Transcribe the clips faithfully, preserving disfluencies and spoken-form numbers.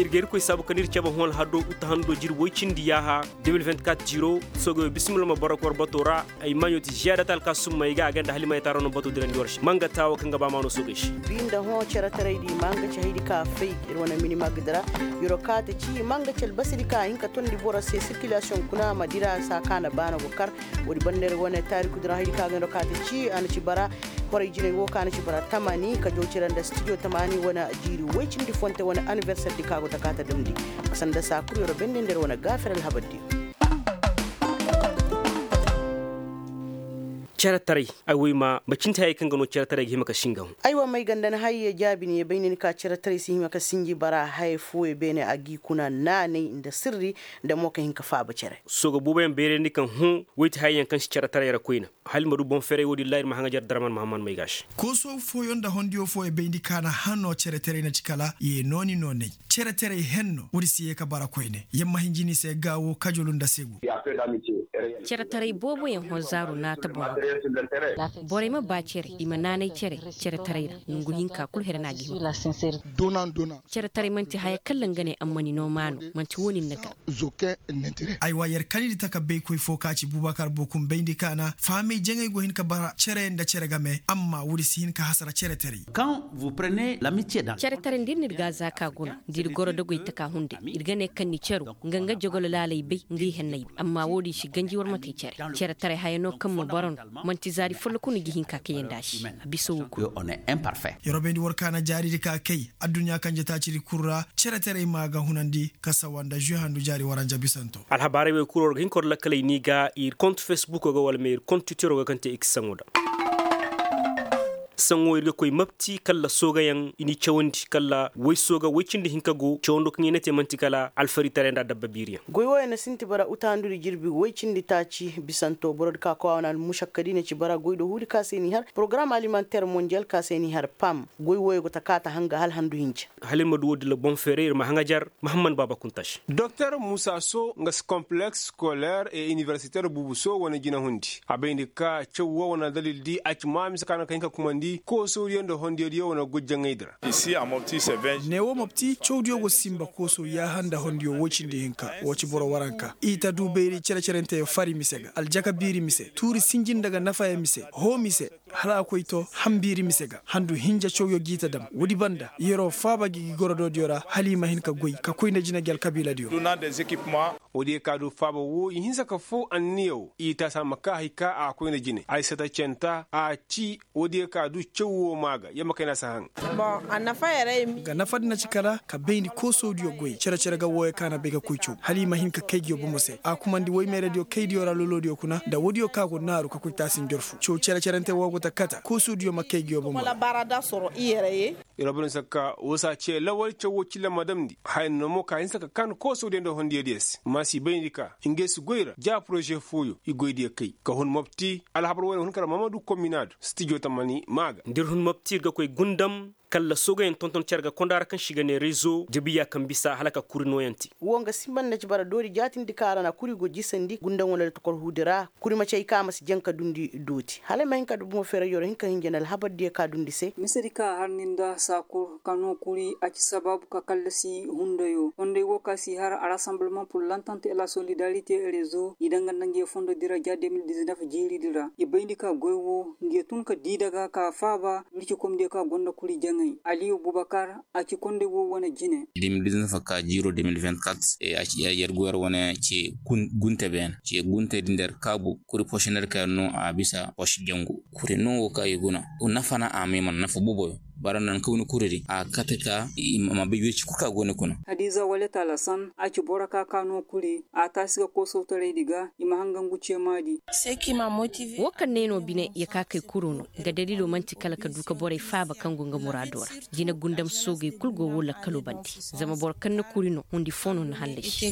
Ir ga irkoy saabu kaŋ ir cabe hõ alhado uta hando jiri woy cindi yaaha. De mil vingt-quatre jiro. Soogey wo bisimila ma boro ka war bato ra. Ay maaɲo ti ziyaada ta alkaasumma ay ga a ganda hala i ma ay taara no bato dirandi war se manga taawo kaŋ ga ba maano soogey se. Bi nda hõ cere taray di manga ci haydi ka fay ir wane mini magdi ra. Yoro kaata ci manga ci albasadi ka hin ka tondi boro se sirkilasiyoŋ kuna ma dira saa ka na baana go kar. Woodi banda ir wane taariku dira haydi ka ga nda kaata ci a na ci bara. Horay jinay wo ka na ci bara tamani ka jaw cire nda stijo tamani wane jiiri woy cindi fonte wane aniverser di ka go ta kaata damndi. Sanda saa kul yoro bende nda ir wane gaafir alhabar di. Cere taray. Ay wo ay ma macinte hayey kaŋ ga no cere taray ga hima ka sinji nga hõ. Ay wo ma ay ganda ni hayey jaabi ni ye bay ni ni ka cere taray si hima ka sinji bara hayey fooyey beene a g'i kuna naanay nda sirri. Nda mo ka hin ka faaba cere. Sooga booboyaŋ bayrandi kaŋ hõ. Woy ti hayey yaŋ kaŋ si cere taray ra koyna. Hala ma du boŋ ferey wo-din ra ir ma haŋajer darman mahamman may ga a se. Kooso fooyaŋ nda hondiyo fooyaŋ bayndi ka na hano cere taray na ci kala ye nooni noonay. Cere taray henno woodi si ye ka bara koyne yamma hinjini se gaawo kajulu nda segu. Cere taray booboyaŋ hõ zaaru naata boŋ. Borey ma ba cere i ma naanay cere. Cere taray ra nongu hinka kul here no a ga hima. Cere taray man'ti haya kaŋ ra nga ne amma ni no maano. Man'ti wo-din na ga. Aywa yer kanidi taka baykoy fo ka ci bubakar bokum bayndi ka na fahamey jaŋay go hin ka bara cere nda cere game amma woodi si hin ka hasara cere taray. Cere taray nda ir n'ir ga a za ka guna. Da ir goro dogey taka hunday ir ga ne kaŋ ni cero nga nga jogolo laaley bay nga i henney bay amma wo-din si ganji war ma te cere. Cere taray haya no kaŋ ma boro no. Man'ti zaari folloku no ga hin ka kayandi a se. A bisa wo kul. Yer wo bayndi war ka na jaaridi ka kay adduɲɲa kanje taacidi kul ra. Cere taray ma ga hunandi ka sawa nda žuy handu jaari waranja bisanto. Alhabaarey wey kul war ga hin ka war lakkaley ni ga ir kont fesbuko ga wala ma ir kont twitero ga kaŋ te i ga saŋo da. Saŋo ir ga koy mapti kala soogayaŋ i n'i cawandi kala woy sooga woy cindi hinka go cawando kaŋ i na te man'ti kala alfaritaray nda adabba biiriyaŋ. Goy wooyaŋ na sinti bara utahandudi jirbi woy cindi taaci bisanto borodi ka kowa wane almušakka di na ci bara goy do huudi ka se n'i har porogaram alimanter mondiyal ka se n'i har pam. Goy wooyaŋ go ta kaata hanga hala handu hinja. Hala ir ma du wo-din ra boŋ feeray ir ma haŋajer. Mahamman baaba kunta se. Doktor muusa so nga si kompleks skoler e iniversiter buubu so wane jinahundi a bayndi ka caw wo wane aldalil di a ci ma mise ka na ka hin ka kumandi koosodiyo nda hondiyodiyo wane goy jaŋaydi ra. Ne wo mopti cawdiyo go sinba kooso yaaha nda hondiyo woy cindi hinka wo ci boro waranka i ta du bayri cere-cerenteyo fari mise ga aljaka biiri mise tuuri sinji nda ga nafayaŋ mise hoo mise. Hala a koy to hambiiri mise ga handu hinja cawyo g'i ta dam woodi banda yeroo faaba gi gi gorodoodiyo ra hala i ma hin ka goy ka koy nda jina gi alkabiiladiyo. Woodiyo ka du faaba woo i hinsa ka foo anniya woo i taasi a ma kaa hay ka a koy nda jine ay sata centa a ci. Woodiyo ka du caw woo maa ga yer ma kayna si a haŋ. Ga nafadi na ci kala ka bayndi koosodiyo goy cere-cere ga wooyo ka na bay ka koy caw hala i ma hin ka kay nguyo bomo se a kumandi woy meeradiyo kaydiyo ra loloodiyo kuna nda woodiyo ka go naaru ka koy taasi njorfu caw cere-cerante woo go ta kata koosodiyo ma kay nguyo bomo ra. Yeroo bay no se ka woo si a cee lawal caw woo cilla ma damndi haya no mo ka hinsa ka kan koosodiyo nda hondiyodiyo se ma si bayndi ka ngey si goy ra ja poroze fooyo i goydiyo kay ka hun mopti alhabar wooyo na hun kara mamadu kominaadu stijo tamani maa ga. Nda ir hun mopti ir ga koy gundam kalla soogayaŋ tonton cere ga konda ra kaŋ se i ga ne rezo jabiya kaŋ bisa hala ka kuri nooyaŋ te. Woo nga simba nda ci bara doori jaatindi kaŋ a ra na kuri go jisandi gundaŋo nda tokor huudi ra kuri ma cay ka a ma si jaŋ ka dundi dooti hala ay ma hin ka du bomo feerayyo ra hin ka hinja nda alhabardiyo ka dundi se. Misedi ka a har ni nda saa kul ka noo kuri a ci sabaabu ka kallasi hundayo fonday woo ka si har a rassemblement pur lantante et la solidarite rezo i danga nda nguyo fondo di ra ja de mil diznef jiiridi ra i bayndi ka goy woo nguyo tun ka dii daga ka faaba wircikomdiyo ka gonda kuri jaŋay aliyu bubakar. A ci konday woo wane jine. De mil diznef ka jiiro de mil vingt-quatre a ci yer goyar wane ce gunte beene ce gunte di nda yer kaabu kuri pošiner ka yer noo a bisa poš jangu kuri noo woo ka i guna nafa na a may mana nafa boboyo. Bara nan kawni kuri di a kate ka i ma bay wirci kul ka go ni kuna. Hadiza wale talasan a ci boro ka ka noo kuri a taasi ga koosawtaraydi ga i ma hanga ngu ceemaadi. Woo kaŋ ne no bine ya ka kay kuro no nga dalilo man'ti kala ka du ka borey faaba kaŋ go nga muraado ra. Jine gundam soogey kul go woo lakkaloo bande zama boro kaŋ na kuri no hundi foo no na hallasi.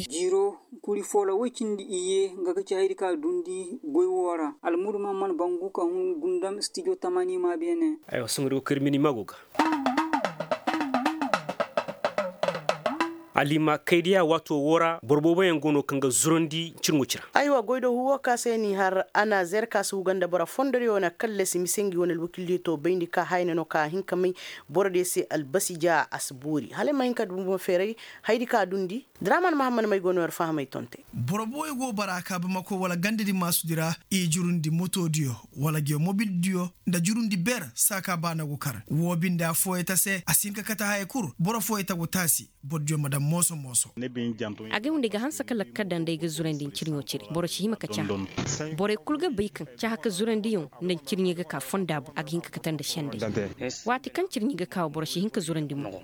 Jiiro kuri foo ra woy cindi iyye nga ga ci hayadi ka dundi goy woo ra almudu mahammad bangu ka hun gundam stijo tamani ma beene. Aywa sohõ ir go ka ir mini mago ga. Alima kaydiya waato woo ra boro booboyaŋ go no kaŋ ga zurandi cirŋo ci ra. Aywa goy do huwo ka se ni har anazer ka si huga nda boro fondoriyo wane kallasi mise ngi wane alwakildiyo to bayndi ka hayna no ka hin ka may borodiyo se albasi ja a si boori hala ay ma hin ka dumo feeray. Haydi ka dundi draman mahammad may go no yar fahamay tonte. Boro booyo go bara ka bamako wala gandadi maasudi ra i jurundi motodiyo wala geeyo mobildiyo nda jurundi ber saaka baana go kar woo binde affooyey ta se a si hin ka kate haya kul boro fooyey ta go taasi. Borodiyo ma daŋ mooso mooso. Agay woo nda ay ga hanse ka lakkal daŋ nda ay ga zurandi ncirɲo cire boro si hima ka cahã. Borey kul ga bay kaŋ cahã ka zurandiyaŋ nda ncirɲey ga ka fonda boŋ a ga hin ka kate nda sendey. Waati kaŋ cirɲey ga ka wo boro si hin ka zurandi mo.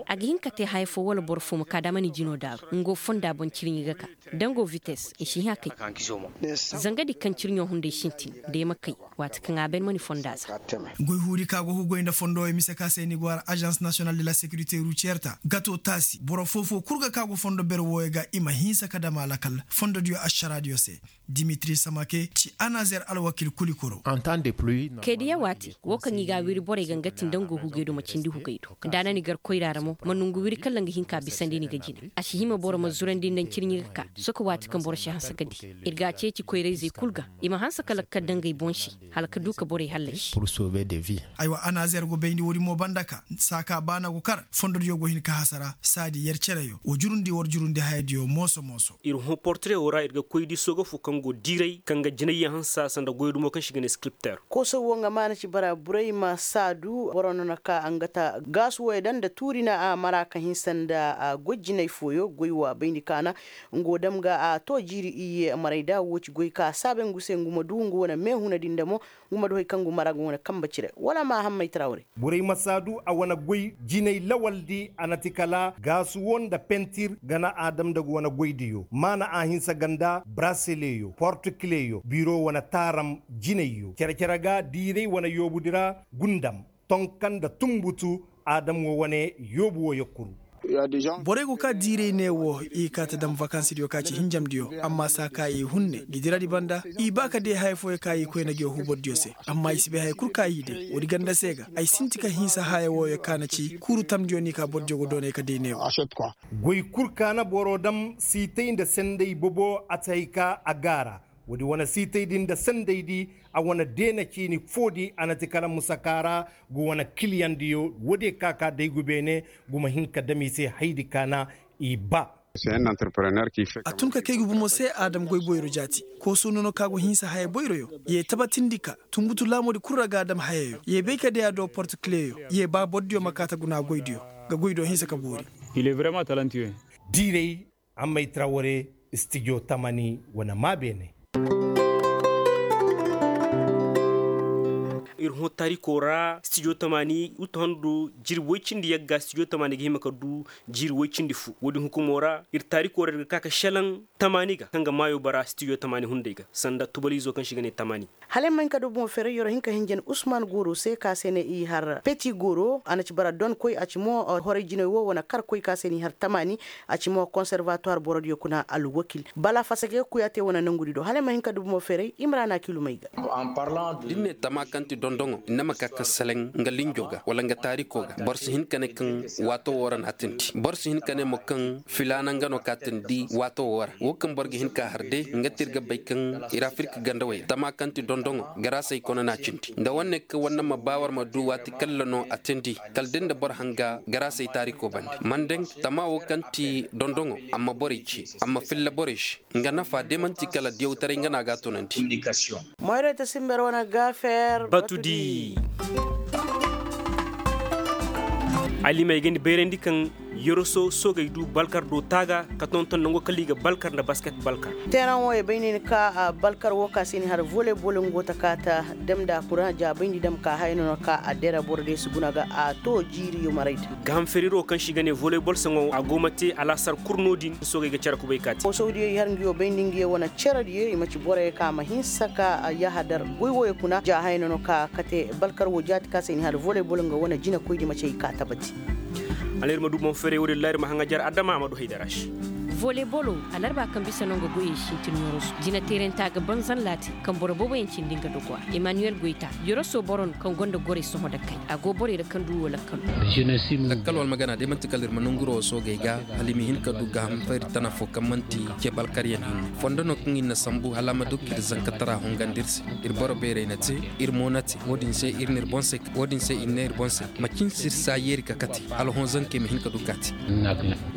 A ga hin ka te haya foo wala boro foo ma ka da a mana i jino daaru nga wo fonda boŋ cirɲey ga ka. Da nga wo vites i si hin a kay. Zangadi kaŋ cirɲo hunday sintin da ay ma kay. Waati kaŋ a bay ni ma ni fonda za. Goy huudi ka go hugoy nda fondo wey mise ka se ni go har azans nasiyonal de la sekirite ruciyerta gato taasi boro foo-foo kul ga ka go fondo ber wooyo ga i ma hinsa ka dam a lakal fondodiyo ašaraadiyo se. Dimitri samake ci anazer alwakil kulikoro. Kaydiya waati woo kaŋ i ga a wiri borey ga nga ti nda nga wo hugay do ma cindi hugay do. Da a na ni gar koyra ra mo ma nongu wiri kala nga hin ka bisandi ni ga jina. A si hima boro ma zurandi nda ncirɲi ga ka soka waati kaŋ boro si hanse ka di. Ir ga a ceeci koyra-izey kul ga i ma hanse ka lakkal daŋ ngey boŋ se. Hala ka du ka borey hallasi. Aywa anazer go bayndi woodin mo banda ka saaka baana go kar fondodiyo go hin ka hasara saadi yer cereyo wa jurundi war jurundi hayadiyo mooso-mooso. Ir hõ portire woo ra ir ga koy di sooga foo kaŋ go diiray kaŋ ga jinayyaŋ hansa sanda goyo dumo kaŋ se i ga ne skripter. Kooso woo nga maana ci bara burey ma saadu boro no na ka nga ta gaasu wooyo daŋ nda tuuri na a mara ka hinsa nda goy jinay fooyo goy woo a bayndi kaana. Nga woo dam ga a to jiiri iyye marayda woo ci goy ka a saabay ngu se ngu ma du nga wane meehuna din da mo. Ngu ma du hay kaŋ ngu mara ngu wane kambe cire wala ma hammay trawre. Borey ma saadu a wane goy jinay lawaldi a na ti kala gaasu woo nda pentir gana a dam nda ngu wane goydiyo maana a hinsa ganda braseleyo portikileyo biro wane taaram jinayyo cere-cere ga diiray wane yoobudi ra gundam tonka nda tunbutu. Aadam wo wane yoobu wo yakkuru. Borey go ka diiray ne wo i kaa ta dam vakansidiyo ka ci hinjamdiyo. Amma saa ka i hun ne gidiradi banda i ba ka day haya fooyo ka i koyna ngiyo huubordiyo se. Amma i si bay haya kul ka i day woodi ganda se ga ay sinti ka hinsa haya wooyo ka na ci kuuru tamdiyo ni ka bordiyo go doonay ka day ne wo. Goy kul ka na boro dam siitay nda senday bobo a ti hay ka a gaara. Woodi wane siitaydi nda sendaydi a wane deena ciini foodi a na ti kala musaka ra. Ngu wane kiliyandiyo woodiyo ka ka day ngu beene. Ngu ma hin ka dam i se haydi ka na i ba. A tun ka kay ngu bomo se aadam goy boyro jaati. Kooso nono ka go hinsa haya boyroyo. Ye tabatindi ka tunbutu laamoodi kul ra ga a dam hayayo ye bay ka day a do portikileyo. Ye ba bordiyo ma kaa ta guna goydiyo. Nga goydiyo hinsa ka boori. Diiray. Ammay trawre stijo tamani wane maa beene. Ir hõ taariko ra stijo tamani utu handu jirbi woy cindi yagga stijo tamani ga hima ka du. Jirbi woy cindi fu woodin hukumo ra ir taariko ra ir ga ka ka šelaŋ tamani ga kaŋ ga maayo bara stijo tamani hunday ga sanda tubalizo kaŋ se i ga ne tamani. Hala ay ma hin ka du bomo feray yer wo hin ka hinjan usman gooro se ka se ne i har peti gooro a na ci bara donkoy a ci mo horay jinay wo wane karkoy ka se ne i har tamaani. A ci mo konservatuwar borodiyo kuna alwakil bala fasake kuya te wane nangudi do hala ay ma hin ka du bomo feray imrana kilumay ga. Da ni ne tama kaŋ ti dondoŋo ni na ma ka ka seleŋ nga linjo ga wala nga taariko ga boro si hin ka ne kaŋ waato wo ra na a tindi boro si hin ka ne mo kaŋ filaana nga no ka tindi waato wo ra wo kaŋ boro ga hin ka har day nga ti ir ga bay kaŋ ir afirka gandawey ra tama kaŋ ti dondoŋo garaasey kona na a cindi nda wane kaŋ wane ma ba war ma du waati kalla no a tindi kala da ni na boro hanga garaasey taariko bande mandaŋ tama wo kaŋ ti dondoŋo a ma borey ce a ma filla borey se nga nafa day man'ti kala diyawtaray nga no a ga a tunandi. Moyrey ta simber wane gaafeer batudi. Alimey ga ni bayrandi kaŋ yoroso soogey du balkar do taaga ka tonton nango kala i ga balkar nda basket balkar. Teeraŋ wo ye bay ne ni ka balkar wo ka se ni har voleybol nga go ta ka ta dam nda a kura jaabayndi dam ka haya no no ka a dera boro day si guna ga a to jiiri yomarayda. Gaaham feriro kaŋ se i ga ne voleybol saŋo a go ma te alaasar kul no-din soogey ga care kubay ka te. Foosawdiyo i har nga yo bayndi nga yo wane cerediyo i ma ci borey ka ma hinsa ka yahadar goy wo ye kuna ja haya no no ka kate balkar wo jaati ka se ni har voleybol nga wane jinakoydi ma ci ay ka tabati. Hala ir ma du boŋ feeray wo-din ra ir ma haŋajer adama a ma du haydara se. Voleybolo, alarba kaŋ bisa no nga goyey sintin yoroso jinateeranta ga banzan laati kaŋ boro booboyaŋ cindi nga dogo a. Emmanuel goyta, yoroso boro no kaŋ gonda gorey sohõ da kay a go borey ra kaŋ du wo lakkal. Lakkal wala magana day manti kala ir ma nanguro wo soogey ga, hala i ma hin ka du gaaham fayri tana fo kaŋ manti ce balkaryaŋ hinne fondo no kaŋ ir na sambu hala a ma du ka ir zankatara hongandi ir se. Ir boro beerey na te, ir mo na te wo- din se ir ne ir boŋ se. Wo- din se ir ne ir boŋ se, macin se ir si a yeeri ka kate hala hõ zankey ma hin ka du ka te.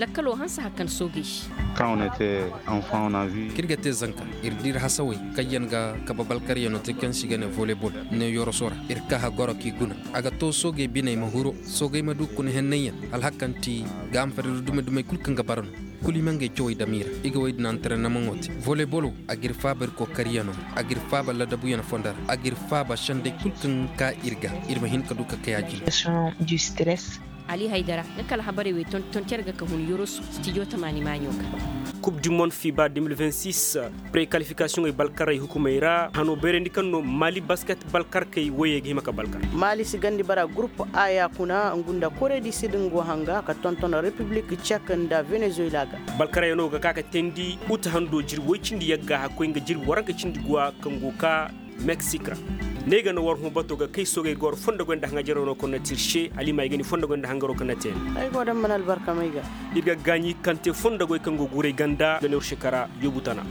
Lakkalo hanse hakan soogey se. Kaŋ wane te, anfaŋo na vi. Kaŋ ir ga te zanka, ir da ir hasawey kaŋ yaŋ ga kabe balkaryaŋo te kaŋ se i ga ne voleybol, ne yoroso ra. Ir kaa hagoro k'i guna. A ga to soogey biney ma huru, soogey ma du kuna hennanyaŋ, alhakanti ga amfani da dume-dumey kulu kaŋ ga bara no. Kulu i ma ngey cawey dam i ra, i ga wey din antarennamaŋo te. Voleybolo, a ga ir faaba ir kookariyaŋo ra, a ga ir faaba ladabuyaŋ fondo ra, a ga ir faaba sendey kulu kaŋ ka ir ga, ir ma hin ka du ka kay a jine. Ali haydara, nga kala habarey wey tonton care ga ka hun yoroso stijo tamaani maaɲo ga. Kub di mond fiba de mil vingt six, prekalifikasiyoŋey balkarey hukumey ra hano bayrandi kaŋ no mali basket balkarkey woyey ga hima ka balkar. Mali si gandi bara gurup aya kuna ngu nda kore di sidin go hanga ka tonton repiblik cek nda venezuela ga. Balkarey no ga ka ka teendi uta hando jirbi woy cindi yagga hakkoy nga jirbi waranka cindi guwa kaŋ go ka meksik ra. Ne ga na war hõ bato ga kay soogey ga war fondogoy nda haŋajaroo no kaŋ na te ir se hala i ma ay ga ni fondogoy nda hangaro kaŋ na te. Ay go daŋ mana albarka may ga. Ir ga gaaɲi kaŋ te fondogoy kaŋ go guray ganda ga ne war shekara yoobu tana.